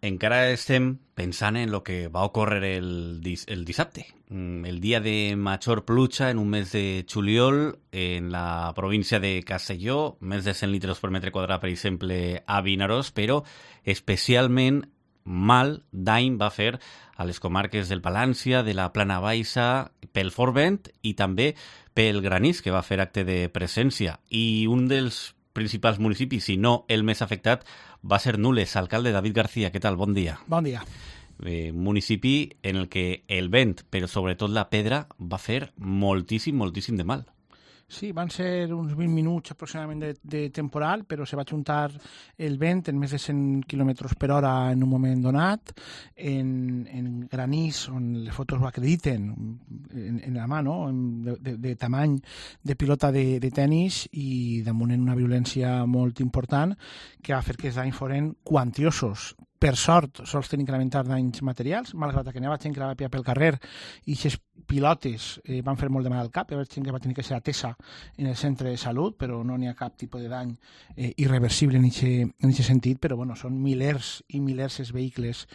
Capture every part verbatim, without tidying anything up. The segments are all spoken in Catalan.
encara estem pensant en el que va ocórrer el, dis el dissabte, el dia de major pluja en un mes de juliol en la província de Castelló, més de cent litres per metre quadrat, per exemple, a Vinaròs, però especialment mal dany va fer a les comarques del Palància, de la Plana Baixa, pel fort vent i també pel granís, que va fer acte de presència. I un dels principals municipis, si no el més afectat, va ser Nules. Alcalde David García, què tal? Bon dia. Bon dia. Eh, municipi en el que el vent, però sobretot la pedra, va fer moltíssim, moltíssim de mal. Sí, van ser uns vint minuts aproximadament de, de temporal, però se va juntar el vent en més de cent quilòmetres per hora en un moment donat, en, en granís, on les fotos ho acrediten, en, en la mà, no? de, de, de tamany de pilota de, de tennis i damunt en una violència molt important que va fer que els danys foren quantiosos. Per sort, sols tenen que lamentar danys materials, malgrat que anava gent que anava pel carrer i aquestes pilotes eh, van fer molt de mal al cap, hi va gent que va tenir que ser atesa en el centre de salut, però no n'hi ha cap tipus de dany eh, irreversible en aquest sentit, però bueno, són milers i milers els vehicles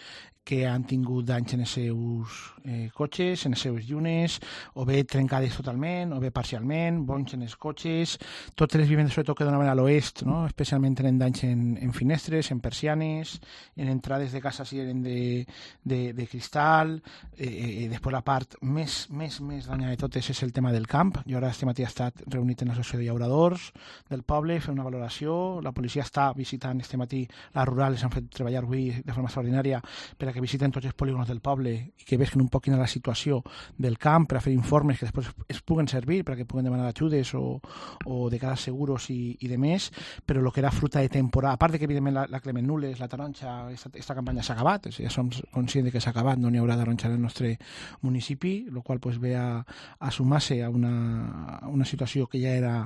que han tingut danys en els seus eh, cotxes, en les seves llunes, o bé trencades totalment, o bé parcialment, bonys en els cotxes. Totes les vivendes, sobretot que donaven a l'oest, no? Especialment tenen danys en, en finestres, en persianes, en entrades de casa si eren de, de, de cristal. Eh, eh, després la part més, més, més danyada de totes és el tema del camp. Jo ara este matí he estat reunit en l'associació de llauradors del poble, fer una valoració. La policia està visitant este matí les rurals, han fet treballar avui de forma extraordinària per a que visiten tots els polígons del poble i que vesquen un poc quina és la situació del camp per a fer informes que després es puguen servir per a que puguen demanar ajudes o, o de cara a seguros i, i de més, però el que era fruta de temporada, a part de que evidentment la, la Clement Nules, la taronja, esta, esta campanya s'ha acabat, ja som conscients de que s'ha acabat, no n'hi haurà taronja en el nostre municipi, el qual pues, ve a, a sumar-se a una, a una situació que ja era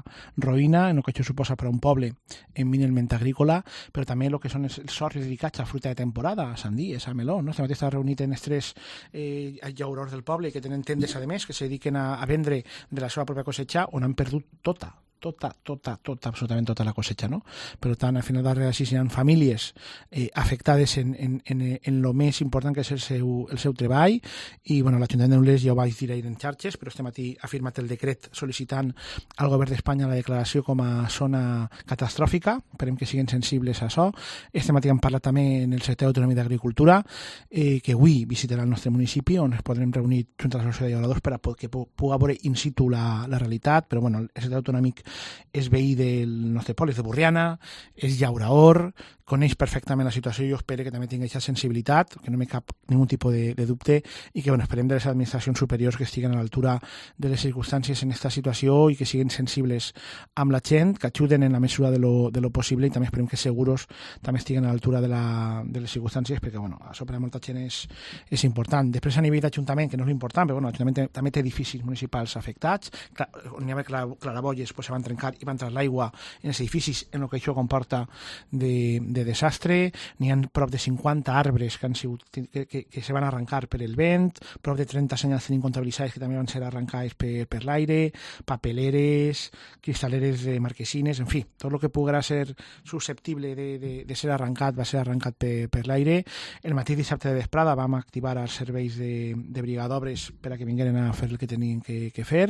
roïna, en el que això suposa per a un poble eminentment agrícola, però també el que són els, els sorts dedicats a fruta de temporada, a sandíes, a meló. No? Este matí està reunit en els tres eh, llauradors del poble que tenen tendes, a més, que se dediquen a, a vendre de la seva pròpia cosecha, on han perdut tota, tota, tota, tota, absolutament tota la cosecha, no? Per tant, al final darrere d'així hi ha famílies eh, afectades en, en, en, en lo més important que és el seu, el seu treball i, bueno, l'Ajuntament de Nules ja ho vaig dir ahir en xarxes, però este matí ha firmat el decret sol·licitant al govern d'Espanya la declaració com a zona catastròfica, esperem que siguin sensibles a això. Este matí hem parlat també en el secretari d'autonomia d'Agricultura, eh, que avui visitarà el nostre municipi, on es podrem reunir junt a l'associació de llauradors per a que puga veure in situ la, la realitat, però bueno, el secretari autonòmic és veí del nostre poble, és de Borriana, és llaurador, coneix perfectament la situació i jo espero que també tingui aquesta sensibilitat, que no me cap ningú tipus de, de dubte i que bueno, esperem de les administracions superiors que estiguen a l'altura de les circumstàncies en aquesta situació i que siguin sensibles amb la gent, que ajuden en la mesura de lo, de lo possible i també esperem que seguros també estiguen a l'altura de, la, de les circumstàncies perquè bueno, això per a molta gent és, és important. Després a nivell d'Ajuntament, que no és l'important, però bueno, l'Ajuntament també té edificis municipals afectats, on hi ha claraboies pues, se van trencar i va entrar l'aigua en els edificis en el que això comporta de de desastre, n'hi ha prop de cinquanta arbres que, han sigut, que, que, que se van arrencar per el vent, prop de trenta senyals tenim comptabilitzades que també van ser arrencades per, per l'aire, papeleres, cristaleres de marquesines, en fi, tot el que poguera ser susceptible de, de, de ser arrencat va ser arrencat per, per l'aire. El matí dissabte de vesprada vam activar els serveis de, de brigadobres per a que vingueren a fer el que tenien que, que fer,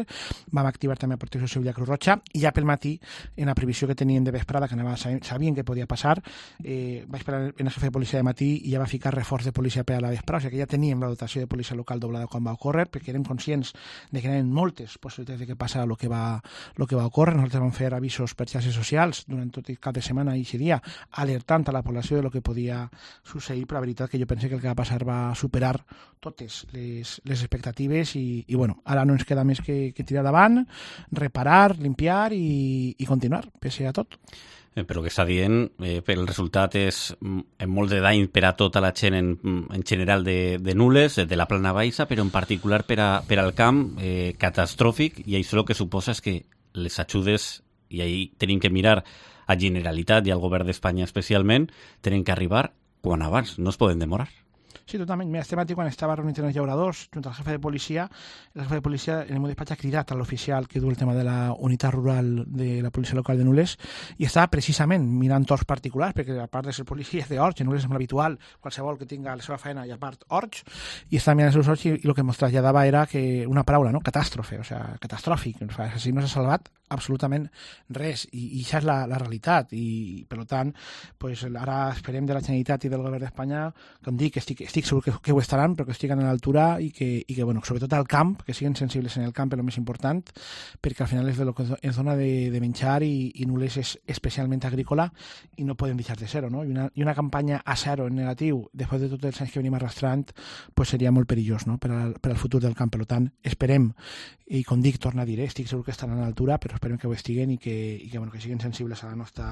vam activar també a Protecció Civil i a Cruz Roja i ja pel matí, en la previsió que tenien de vesprada, que anava, sabien que podia passar, Eh, va esperar en el jefe de policia de matí i ja va ficar reforç de policia per a la vesprada, o sigui que ja teníem la dotació de policia local doblada quan va ocórrer, perquè érem conscients de que hi havia moltes possibilitats de que passara el que va, lo que va ocórrer. Nosaltres vam fer avisos per xarxes socials durant tot el cap de setmana i aquest dia, alertant a la població de lo que podia succeir, però la veritat que jo pensé que el que va passar va superar totes les, les expectatives i, i bueno, ara no ens queda més que, que tirar davant, reparar, limpiar i, i continuar, pese a tot. Però que està dient, eh, el resultat és en molt de dany per a tota la gent en, en general de, de Nules, de la Plana Baixa, però en particular per, a, per al camp eh, catastròfic, i això el que suposa és que les ajudes, i ahí tenim que mirar a Generalitat i al govern d'Espanya especialment, tenen que arribar quan abans, no es poden demorar. Sí, totalment. Mira, este matí quan estava reunit en els llauradors, junt al jefe de policia, el jefe de policia en el meu despatx ha cridat a l'oficial que du el tema de la unitat rural de la policia local de Nules i estava precisament mirant horts particulars, perquè a part de ser policia de horts, en Nules és molt habitual, qualsevol que tinga la seva feina i a part horts, i estava mirant els seus horts i, i el que ens traslladava era que una paraula, no? Catàstrofe, o sea, catastròfic. O sigui, no s'ha salvat absolutament res, i, i això és la, la realitat, i per tant, pues, ara esperem de la Generalitat i del govern d'Espanya, com dic, estic, estic segur que, que ho estaran, però que estiguen a l'altura i que, i que, bueno, sobretot al camp, que siguin sensibles en el camp és el més important, perquè al final és de lo que ens dona de, de menjar i, i Nules és especialment agrícola i no podem deixar de ser-ho, no? I una, i una campanya a zero en negatiu, després de tots els anys que venim arrastrant, pues seria molt perillós, no? per, al, per al futur del camp. Per tant, esperem, i com dic, torna a dir, eh? estic segur que estaran a l'altura, però esperem que ho estiguen i que, i que, bueno, que siguin sensibles a la nostra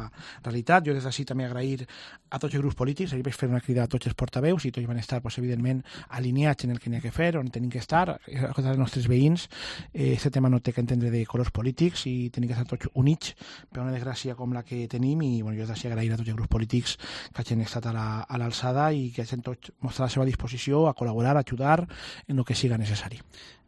realitat. Jo des d'ací també agrair a tots els grups polítics, ahir vaig fer una crida a tots els portaveus i tots van estar, pues, evidentment, alineats en el que n'hi ha que fer, on tenim que estar, a els nostres veïns. Aquest eh, tema no té que entendre de colors polítics i tenim que estar tots units per una desgràcia com la que tenim, i bueno, jo des d'ací agrair a tots els grups polítics que hagin estat a l'alçada la, i que hagin tots mostrat la seva disposició a col·laborar, a ajudar en el que siga necessari.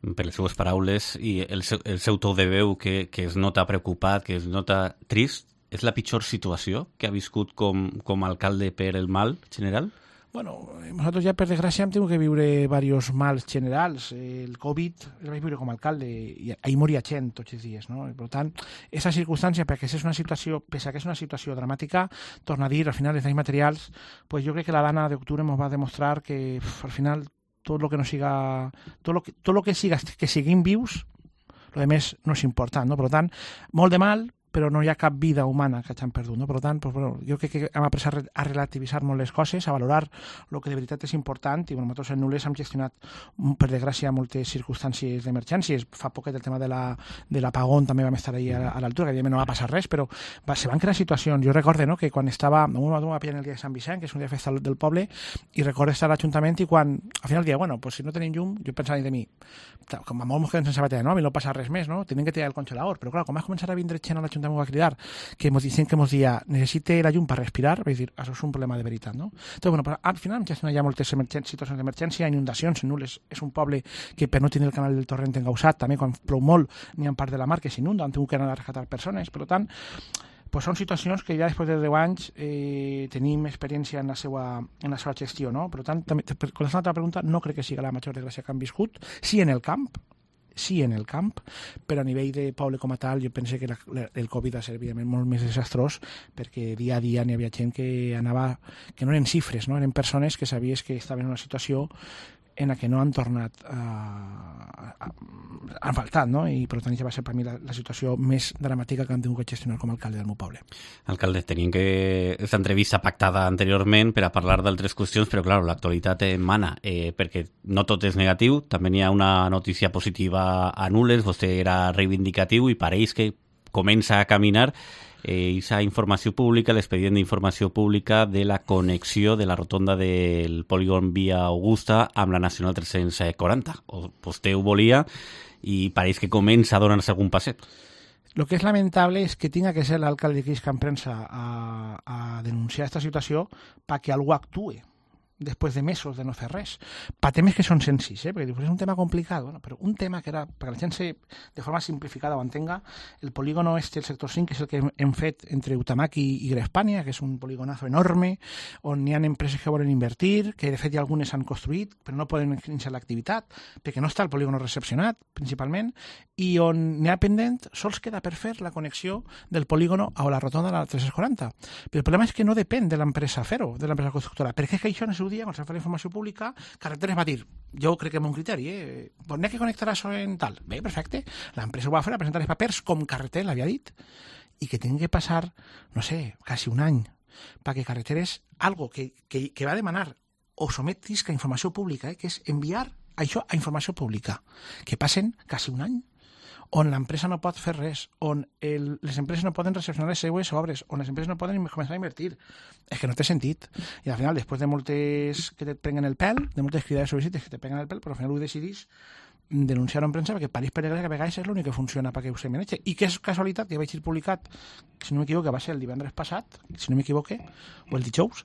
Per les seues paraules i el seu, el seu to de veu que, que es nota preocupat, que es nota trist, és la pitjor situació que ha viscut com, com a alcalde per el mal general? Bueno, nosaltres ja per desgràcia hem tingut que viure diversos mals generals. El Covid el vaig viure com a alcalde i ahir moria gent tots els dies, no? I, per tant, aquesta circumstància, perquè és una situació, pese a que és una situació dramàtica, torna a dir, al final, els danys materials, pues jo crec que la dana d'octubre ens va demostrar que uf, al final tot el que no siga, tot lo que, tot lo que siga que siguin vius, lo de més no és important, no? Per tant, molt de mal, però no hi ha cap vida humana que hagin perdut, no? Per tant, pues, bueno, jo crec que hem après a relativitzar molt les coses, a valorar el que de veritat és important, i bueno, nosaltres en Nules hem gestionat, per desgràcia, moltes circumstàncies d'emergències. Fa poquet el tema de l'apagón la, també vam estar ahí a, a l'altura, que evidentment no va passar res, però va, se van crear situacions. Jo recordo, no?, que quan estava, un va pillar el dia de Sant Vicent, que és un dia de festa del poble, i recordo estar a l'Ajuntament i quan, al final dia, bueno, pues si no tenim llum, jo pensava de mi, com a molt ens quedem sense bateria, no? A mi no passa res més, no? Tenim que tirar el congelador, però clar, quan vas començar a vindre gent a l'Ajuntament m'ho va cridar, que ens dicen que ens dia necessite la llum per respirar, vaig dir, això és un problema de veritat, no? Entonces, bueno, però al final ja hi ha moltes situacions d'emergència, inundacions, en Nules és un poble que per no tenir el canal del torrent engausat, també quan plou molt n'hi ha part de la mar que s'inunda, han tingut que anar a rescatar persones, per tant, pues són situacions que ja després de deu anys eh, tenim experiència en la seva, en la seva gestió, no? Per tant, també, per contestar l'altra pregunta, no crec que sigui la major desgràcia que han viscut, sí en el camp, sí en el camp, però a nivell de poble com a tal jo pense que la, la, el Covid va ser evidentment molt més desastrós, perquè dia a dia n'hi havia gent que anava, que no eren xifres, no? Eren persones que sabies que estaven en una situació en la que no han tornat a, a, han faltat, no? I per tant ja va ser per mi la, la situació més dramàtica que han tingut que gestionar com a alcalde del meu poble. Alcalde, tenim que aquesta entrevista pactada anteriorment per a parlar d'altres qüestions, però clar, l'actualitat mana, eh, perquè no tot és negatiu, també hi ha una notícia positiva a Nules, vostè era reivindicatiu i pareix que comença a caminar aquesta eh, informació pública, l'expedient d'informació pública de la connexió de la rotonda del polígon Via Augusta amb la Nacional tres-cents quaranta. O, vostè ho volia i pareix que comença a donar-se algun passet. Lo que és lamentable és que tinga que ser l'alcalde que isca en premsa a, a denunciar aquesta situació perquè algú actue després de mesos de no fer res. Per temes que són senzills, eh? Perquè és un tema complicat, bueno, però un tema que era, perquè la gent se, de forma simplificada ho entenga, el polígono este, el sector cinc, que és el que hem fet entre Utamaki i Grespània, que és un polígonazo enorme, on hi ha empreses que volen invertir, que de fet ja algunes han construït, però no poden iniciar l'activitat, perquè no està el polígono recepcionat, principalment, i on n'hi ha pendent, sols queda per fer la connexió del polígono a la rotonda de la tres-cents quaranta. Però el problema és que no depèn de l'empresa fer-ho, de l'empresa constructora, perquè és que això no seu dia, quan s'ha fet la informació pública, Carreteres va dir, jo crec que és un criteri, eh? Pues n'hi ha que connectar això en tal. Bé, perfecte. L'empresa ho va fer, a presentar els papers com Carreteres l'havia dit, i que tenen que passar, no sé, quasi un any, perquè Carreteres, algo que, que, que va demanar o sometisca a informació pública, eh? Que és enviar això a informació pública, que passen quasi un any, on l'empresa no pot fer res, on el, les empreses no poden recepcionar les seues obres, on les empreses no poden començar a invertir. És que no té sentit. I al final, després de moltes que te prenguen el pèl, de moltes cridades sol·licites que te prenguen el pèl, però al final ho decidís denunciar-ho en premsa perquè pareix per desgràcia que a vegades és l'únic que funciona perquè ho se maneja. I que és casualitat que vaig ir publicat, si no m'equivoco, va ser el divendres passat, si no m'equivoque, o el dijous,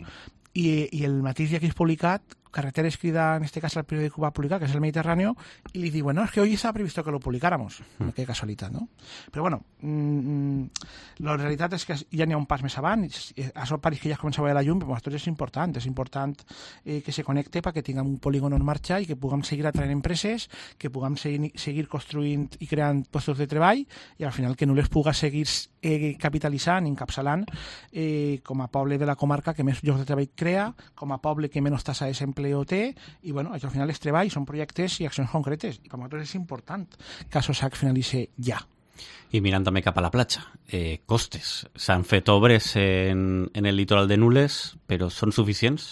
i, i el mateix dia que és publicat Carreteres crida, en este caso, el periódico que va a publicar, que es el Mediterráneo, y li diuen, no, es que hoy estaba previsto que lo publicáramos. Mm. Qué casualitat, no? Però, bueno, mmm, la realitat és que ja n'hi ha un pas més avant, això pareix que ja es comença a veure la llum, però per nosaltres és important, és important eh, que se connecte perquè tinguem un polígon on marxar i que puguem seguir atraient empreses, que puguem seguir, seguir construint i creant llocs de treball i al final que no les puga seguir eh, capitalitzant, encapçalant eh, com a poble de la comarca que més llocs de treball crea, com a poble que menys tassa de desempleo té i bueno, això al final és treball, són projectes i accions concretes i per nosaltres és important que això s'ha finalitzi ja. I mirant també cap a la platja, eh, costes. S'han fet obres en, en el litoral de Nules, però són suficients?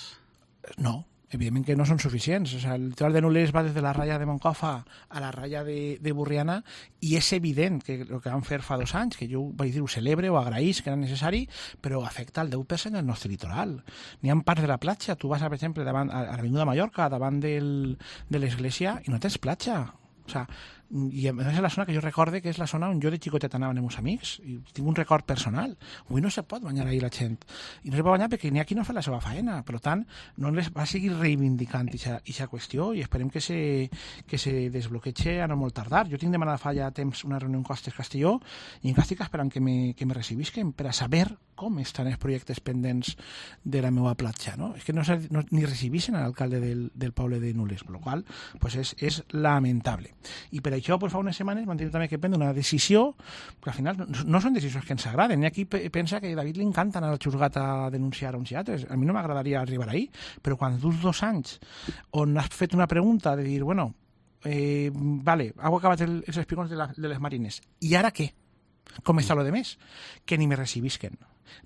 No, evidentment que no són suficients. O sigui, el litoral de Nules va des de la ratlla de Moncofa a la ratlla de, de Burriana i és evident que el que van fer fa dos anys, que jo vaig dir ho celebre o agraïs que era necessari, però afecta el deu per cent del nostre litoral. N'hi ha parts de la platja, tu vas, per exemple, davant, a l'Avinguda Mallorca, davant del, de l'església, i no tens platja. O sea, i a més és la zona que jo recorde que és la zona on jo de xicotet anava amb els meus amics i tinc un record personal. Avui no se pot banyar ahir la gent i no se pot banyar perquè n'hi ha qui no fa la seva faena, per tant no les va seguir reivindicant aquesta qüestió i esperem que se, que se desbloqueja a no molt tardar. Jo tinc demanat fa ja temps una reunió en Costes Castelló i encara estic esperant que me, que me recibisquen per a saber com estan els projectes pendents de la meva platja, no? És que no, no ni recibissin a l'alcalde del, del poble de Nules, per la qual pues és, és lamentable. I per això pues, fa unes setmanes vam tenir també que prendre una decisió que al final no, no són decisions que ens agraden. Hi ha qui pensa que a David li encanta anar al xurgat a denunciar uns i altres. A mi no m'agradaria arribar ahí, però quan dus dos anys on has fet una pregunta de dir, bueno, eh, vale, heu acabat el, els espigons de, la, de les marines, i ara què? Com està lo de més? Que ni me recibisquen,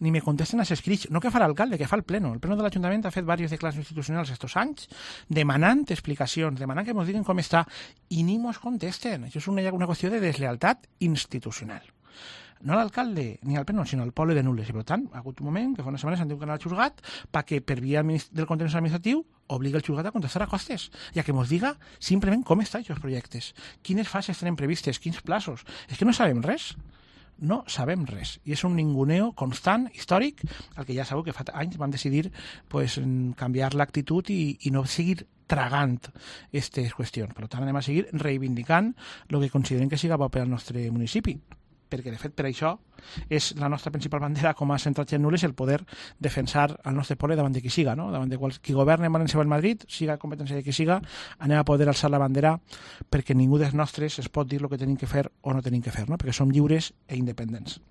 ni me contesten als escrits, no que fa l'alcalde, que fa el pleno. El pleno de l'Ajuntament ha fet diverses declaracions institucionals estos anys, demanant explicacions, demanant que ens diguin com està, i ni mos contesten. Això és una, una qüestió de deslealtat institucional. No l'alcalde ni al pleno, sinó al poble de Nules. I per tant, ha hagut un moment que fa unes setmanes han tingut que anar al xurgat perquè per via del contenciós administratiu obliga el xurgat a contestar a Costes, ja que ens diga simplement com estan aquests projectes, quines fases tenen previstes, quins plaços. És que no sabem res. No sabem res. I és un ninguneo constant, històric, al que ja sabeu que fa anys van decidir pues, canviar l'actitud i, i no seguir tragant aquestes qüestions. Per tant, anem a seguir reivindicant el que considerem que siga bo per al nostre municipi. Perquè, de fet, per això és la nostra principal bandera com a central en Nules el poder defensar el nostre poble davant de qui siga, no? Davant de qual, qui governa en València o en Madrid, siga competència de qui siga, anem a poder alçar la bandera perquè ningú dels nostres es pot dir el que tenim que fer o no tenim que fer, no? Perquè som lliures e independents.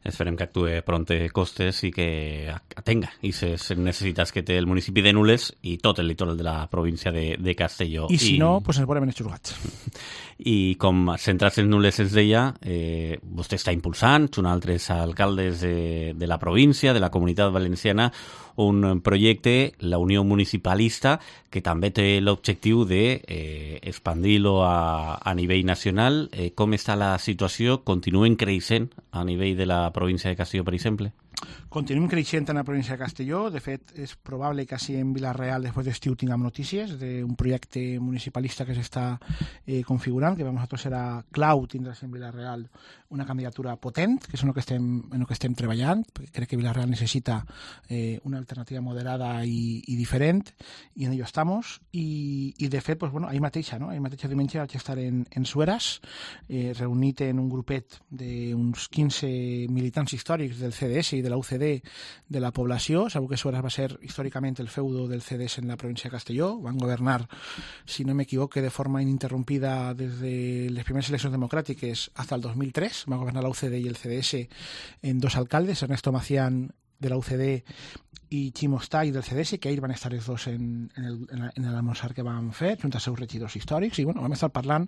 Esperem que actue pronte Costes i que atenga aquestes necessitats que té el municipi de Nules i tot el litoral de la província de, de Castelló. I si I... no, pues ens veurem en els xurgats. I com centrats en Nules ens deia, eh, vostè està impulsant, junt a altres alcaldes de, de la província, de la Comunitat Valenciana, un projecte, la Unió Municipalista, que també té l'objectiu d'expandir-lo eh, a, a nivell nacional. Eh, com està la situació? Continuen creixent a nivell de la província de Castelló, per exemple? Continuem creixent en la província de Castelló. De fet, és probable que així en Vila-real després d'estiu tinguem notícies d'un projecte municipalista que s'està eh, configurant, que per nosaltres serà clau tindre en Vila-real una candidatura potent, que és en el que estem, en el que estem treballant, perquè crec que Vila-real necessita eh, una alternativa moderada i, i diferent, i en ello estamos. I, i de fet, pues, bueno, ahir mateixa, no? ahir mateixa diumenge vaig estar en, en Sueras, eh, reunit en un grupet d'uns quinze militants històrics del C D S i de la U C D de la població. Sabeu que Sueras va ser històricament el feudo del C D S en la província de Castelló. Van governar, si no m'equivoque, de forma ininterrompida des de les primeres eleccions democràtiques fins al dos mil tres. Va governar la U C D i el C D S en dos alcaldes, Ernesto Macián de la U C D i Ximo Stay del C D S, que ahir van estar els dos en, en, el, en l'almorzar que vam fer, junt als seus regidors històrics, i bueno, vam estar parlant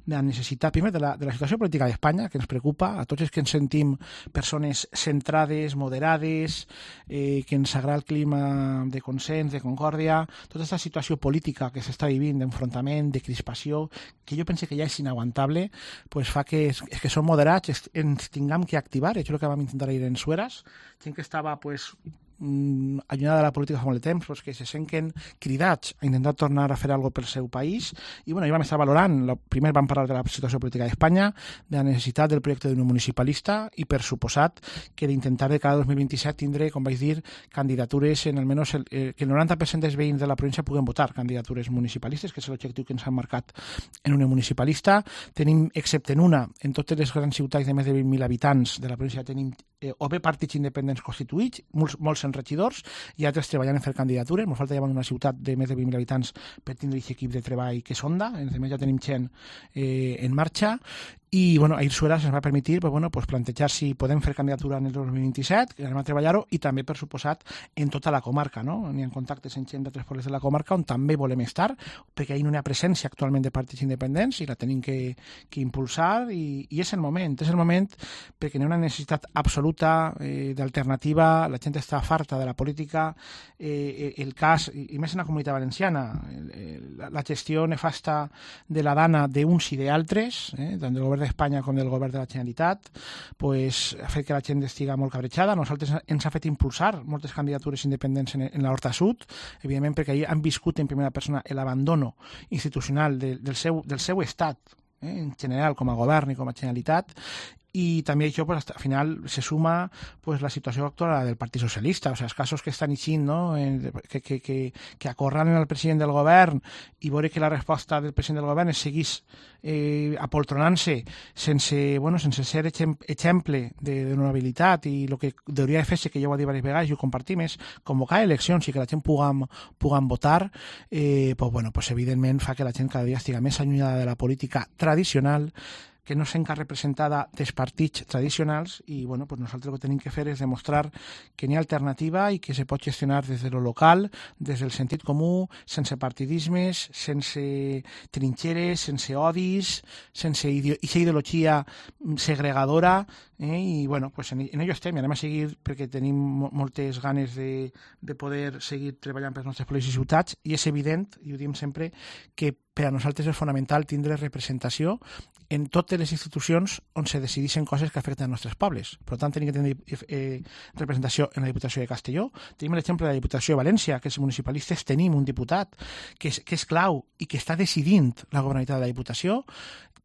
de la necessitat, primer, de la, de la situació política d'Espanya, que ens preocupa, a tots els que ens sentim persones centrades, moderades, eh, que ens agrada el clima de consens, de concòrdia, tota aquesta situació política que s'està vivint d'enfrontament, de crispació, que jo pense que ja és inaguantable, pues fa que, que som moderats, ens tinguem que activar, això és el que vam intentar ir en Sueras, gent que estava pues, mm, allunyada de la política fa molt de temps, pues, que se senten cridats a intentar tornar a fer alguna cosa pel seu país. I bueno, ja vam estar valorant, la, primer vam parlar de la situació política d'Espanya, de la necessitat del projecte d'un municipalista i per suposat que d'intentar de cada dos mil vint-i-set tindre, com vaig dir, candidatures en almenys el, eh, que el noranta per cent dels veïns de la província puguen votar candidatures municipalistes, que és l'objectiu que ens han marcat en una municipalista. Tenim, excepte en una, en totes les grans ciutats de més de vint mil habitants de la província tenim eh, o bé partits independents constituïts, molts, molts en regidors, i altres treballant en fer candidatures. Ens falta ja una ciutat de més de vint mil habitants per tindre aquest equip de treball que sonda. En més ja tenim gent eh, en marxa. I bueno, ahir Suera ens va permetre pues, bueno, pues, plantejar si podem fer candidatura en el dos mil vint-i-set, que anem a treballar-ho, i també, per suposat, en tota la comarca. No? N'hi ha contactes amb gent d'altres pobles de la comarca on també volem estar, perquè ahir no hi ha presència actualment de partits independents i la tenim que, que impulsar, i, i és el moment, és el moment perquè n'hi ha una necessitat absoluta eh, d'alternativa, la gent està farta de la política, eh, el cas, i, i més en la comunitat valenciana, el, la, la gestió nefasta de la dana d'uns i d'altres, eh, tant del govern d'Espanya com del govern de la Generalitat, pues, ha fet que la gent estigui molt cabrejada. Nosaltres ens ha fet impulsar moltes candidatures independents en, en l'Horta Sud, evidentment perquè ahir han viscut en primera persona l'abandono institucional de, del, seu, del seu estat, eh, en general com a govern i com a Generalitat, i també això pues, al final se suma pues, la situació actual del Partit Socialista, o sigui, els casos que estan eixint, no? que, que, que, que acorralen el president del govern i veure que la resposta del president del govern es seguís eh, apoltronant-se sense, bueno, sense ser exemple de, de honorabilitat, i el que hauria de fer-se, que jo ho he dit diverses vegades i ho compartim, és convocar eleccions i que la gent puguem, puguem votar, eh, pues, bueno, pues, evidentment fa que la gent cada dia estigui més allunyada de la política tradicional, que no sent representada dels partits tradicionals, i bueno, pues nosaltres el que tenim que fer és demostrar que n'hi ha alternativa i que se pot gestionar des de lo local, des del sentit comú, sense partidismes, sense trinxeres, sense odis, sense ideo ideologia segregadora, eh? I bueno, pues en, en ello estem, i anem a seguir perquè tenim moltes ganes de, de poder seguir treballant per les nostres pobles i ciutats, i és evident, i ho diem sempre, que per a nosaltres és fonamental tindre representació en totes les institucions on se decideixen coses que afecten els nostres pobles. Per tant, tenim que tenir eh, representació en la Diputació de Castelló. Tenim l'exemple de la Diputació de València, que els municipalistes tenim un diputat que és, que és clau i que està decidint la governabilitat de la Diputació,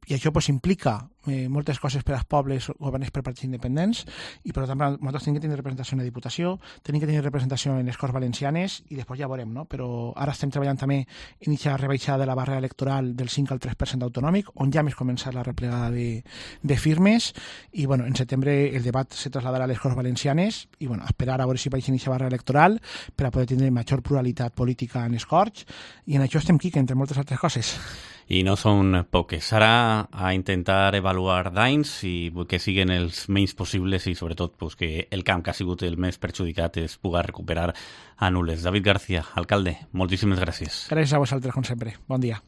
i això pues, implica eh, moltes coses per als pobles governats per partits independents, i per tant nosaltres tenim que tenir representació en la Diputació, tenim que tenir representació en les Corts Valencianes, i després ja veurem, no? Però ara estem treballant també en aquesta rebaixada de la barrera electoral del cinc al tres per cent autonòmic, on ja més començar la replegada de, de firmes, i bueno, en setembre el debat se trasladarà a les Corts Valencianes, i bueno, esperar a veure si baixen aquesta barrera electoral per a poder tenir major pluralitat política en les Corts, i en això estem quique, entre moltes altres coses. I no són poques. Ara a intentar avaluar danys i que siguin els menys possibles, i sobretot pues, que el camp que ha sigut el més perjudicat es pugui recuperar a nules. David García, alcalde, moltíssimes gràcies. Gràcies a vosaltres, com sempre. Bon dia.